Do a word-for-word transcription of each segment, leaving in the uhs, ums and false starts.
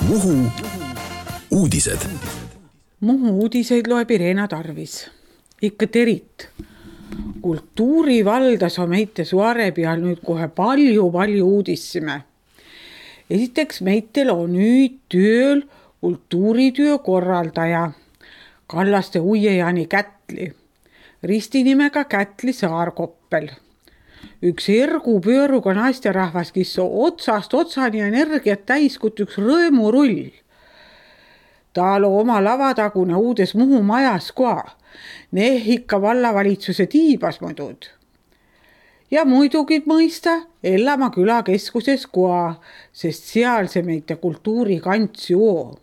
Muhu uudised. Muhu uudiseid loeb Irena Tarvis. Ikka terit. Kultuurivaldas on meite Suare peal nüüd kohe palju-palju uudissime. Esiteks meitel on nüüd tööl kultuurityö korraldaja Kallaste Uiejani Kätli, ristinimega Kätli Saarkoppel. Üks ergu pööruga naisterahvas, kes on otsast otsani energiat täis kui üks rõõmurull. Tal on oma lavatagune uudes Muhu majas koa, neh ikka vallavalitsuse tiibas muidud. Ja muidugi mõista Ellama külakeskuses koa, sest seal see meite kultuurikants joo.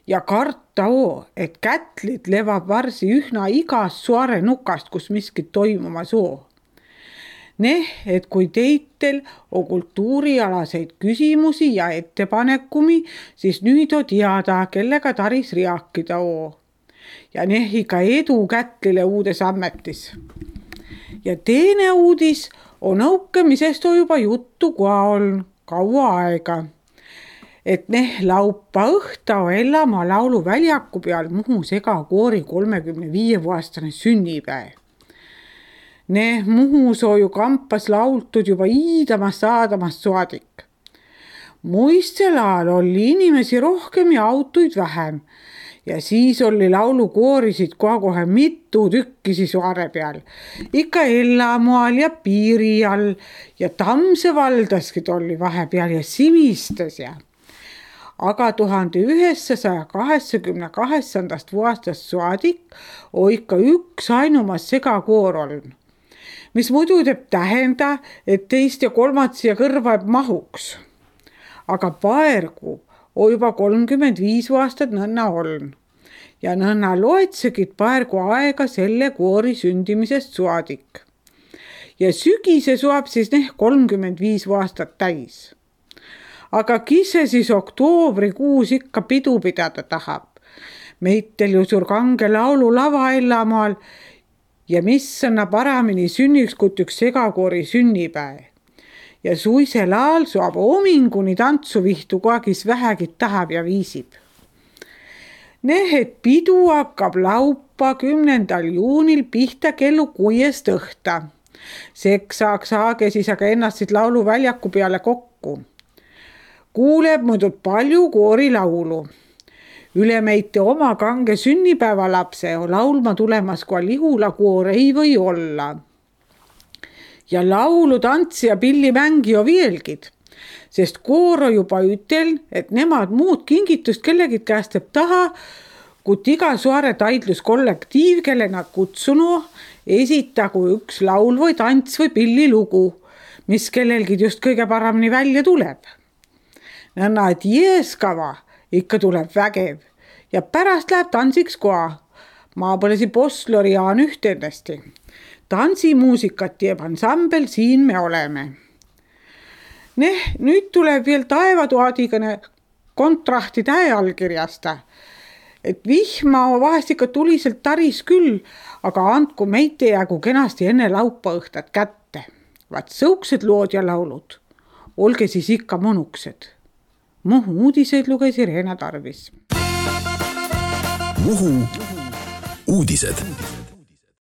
Ja karta oo, et Kätlid levab varsi ühna igas Suare nukast, kus miskit toimumas oo. Neh, et kui teitel on kultuurialaseid küsimusi ja ettepanekumi, siis nüüd on teada, kellega taris riakida oo. Ja neh ikka edu Kätlile uudes ammetis. Ja teine uudis on õukemisest on juba juttu koa on kaua aega. Et neh laupa õhta on Ellama laulu väljaku peal Muhu segakoori kolmekümne viie aastane sünnipäev. Neh Muhus on ju kampas laultud juba iidamast saadamast saadik. Muistsel ajal oli inimesi rohkem ja autoid vähem. Ja siis oli laulukoorisid koha kohe mitu tükkisi Suare peal. Ikka Ellamoal ja Piiri all ja Tamse valdaskid oli vahepeal ja Simistes ja. Aga tuhande üheksasaja kaheksakümne kaheksandast aastast saadik on ikka üks ainumas segakoor olnud. Mis muidu teeb tähenda, et teist ja kolmat siia kõrva mahuks. Aga paergu on juba kolmkümmend viis aastat nõnna olnud. Ja nõnna loetsegid paergu aega selle koori sündimisest saadik. Ja sügise suab siis neh kolmkümmend viis aastat täis. Aga kise siis oktoobrikuus ikka pidu pidada tahab. Meitel ju suur kange laulu lava Ellamaal ja mis anna paramini sünniks kui üks segakoori sünnipäev. Ja suisel ajal suab ominguni tantsuvihtu koha, kes vähegi tahab ja viisib. Neh, et pidu hakkab laupa kümnendal juunil pihta kellu kuuest õhta. Seks saaks saage siis aga ennast siit laulu väljaku peale kokku. Kuuleb muidu palju koori laulu. Üle meite oma kange sünnipäeva lapse on laulma tulemas koa Lihula koor ei või olla. Ja laulu, tantsi ja pillimängi on vielgid, sest koor on juba ütel, et nemad muud kingitust kellegid käest teeb taha, kut iga Suare taidluskollektiiv, kelle nad kutsunu, esitagu üks laul või tants või pillilugu, mis kellelgi just kõige paramini välja tuleb. Nõnna, et jeeskava ikka tuleb vägev ja pärast läheb tantsiks koa. Maapõlesi Poslori Jaan ühtendasti. Tantsimuusikat teeb ansambel Siin me oleme. Neh, nüüd tuleb veel taevatuadigane kontrahti tähe allkirjasta. Et vihma vahest ikka tuliselt taris küll, aga andku meite jäägu kenasti enne laupa õhtat kätte. Vaat sõuksed lood ja laulud. Olge siis ikka monuksed. Muhu uudiseid luges Irena Tarvis. Muhu uudised.